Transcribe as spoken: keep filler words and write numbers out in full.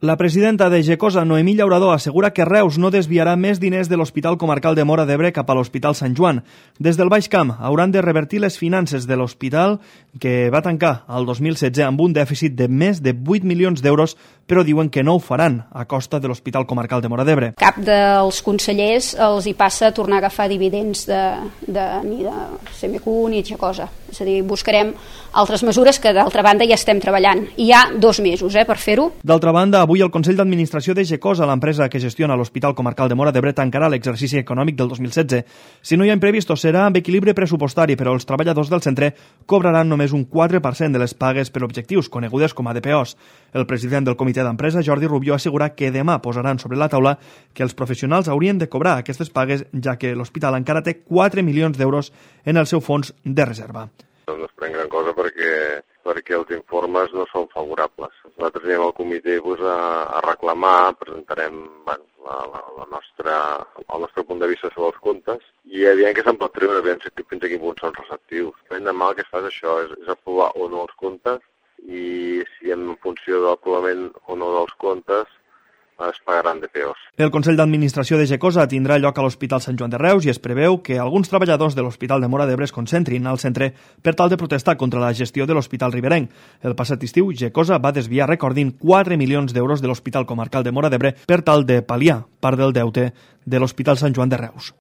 La presidenta de Gecosa, Noemí Llaurador, assegura que Reus no desviarà més diners de l'Hospital Comarcal de Móra d'Ebre cap a l'Hospital Sant Joan. Des del Baix Camp hauran de revertir les finances de l'hospital, que va tancar el dos mil setze amb un dèficit de més de vuit milions d'euros, però diuen que no ho faran a costa de l'Hospital Comarcal de Móra d'Ebre. Cap dels consellers els hi passa a tornar a agafar dividends de, de, ni de C M Q ni de Gecosa. És a dir, buscarem altres mesures que d'altra banda ja estem treballant. I hi ha dos mesos eh, per fer-ho. D'altra banda, avui el Consell d'Administració de Gecosa, l'empresa que gestiona l'Hospital Comarcal de Móra d'Ebre, tancarà l'exercici econòmic del dos mil setze. Si no hi ha imprevistos, serà amb equilibri pressupostari, però els treballadors del centre cobraran només un quatre per cent de les pagues per objectius, conegudes com a D P Os. El president del comitè d'empresa, Jordi Rubió, assegura que demà posaran sobre la taula que els professionals haurien de cobrar aquestes pagues, ja que l'hospital encara té quatre milions d'euros en el seu fons de reserva. No es pren gran cosa perquè, perquè els informes no són favorables. Nosaltres anem al comitè pues, a, a reclamar, presentarem bueno, la, la, la nostra, el nostre punt de vista sobre els comptes i aviam què se'n pot treure, aviam fins a quin punt són receptius. Demà el que es fa és això, és, és aprovar o no els comptes i si en funció de l'aprovament o no dels comptes es pagaran D P Os. El Consell d'Administració de Gecosa tindrà lloc a l'Hospital Sant Joan de Reus i es preveu que alguns treballadors de l'Hospital de Móra d'Ebre es concentrin al centre per tal de protestar contra la gestió de l'Hospital riberenc. El passat estiu, Gecosa va desviar, recordin, quatre milions d'euros de l'Hospital Comarcal de Móra d'Ebre per tal de pal·liar part del deute de l'Hospital Sant Joan de Reus.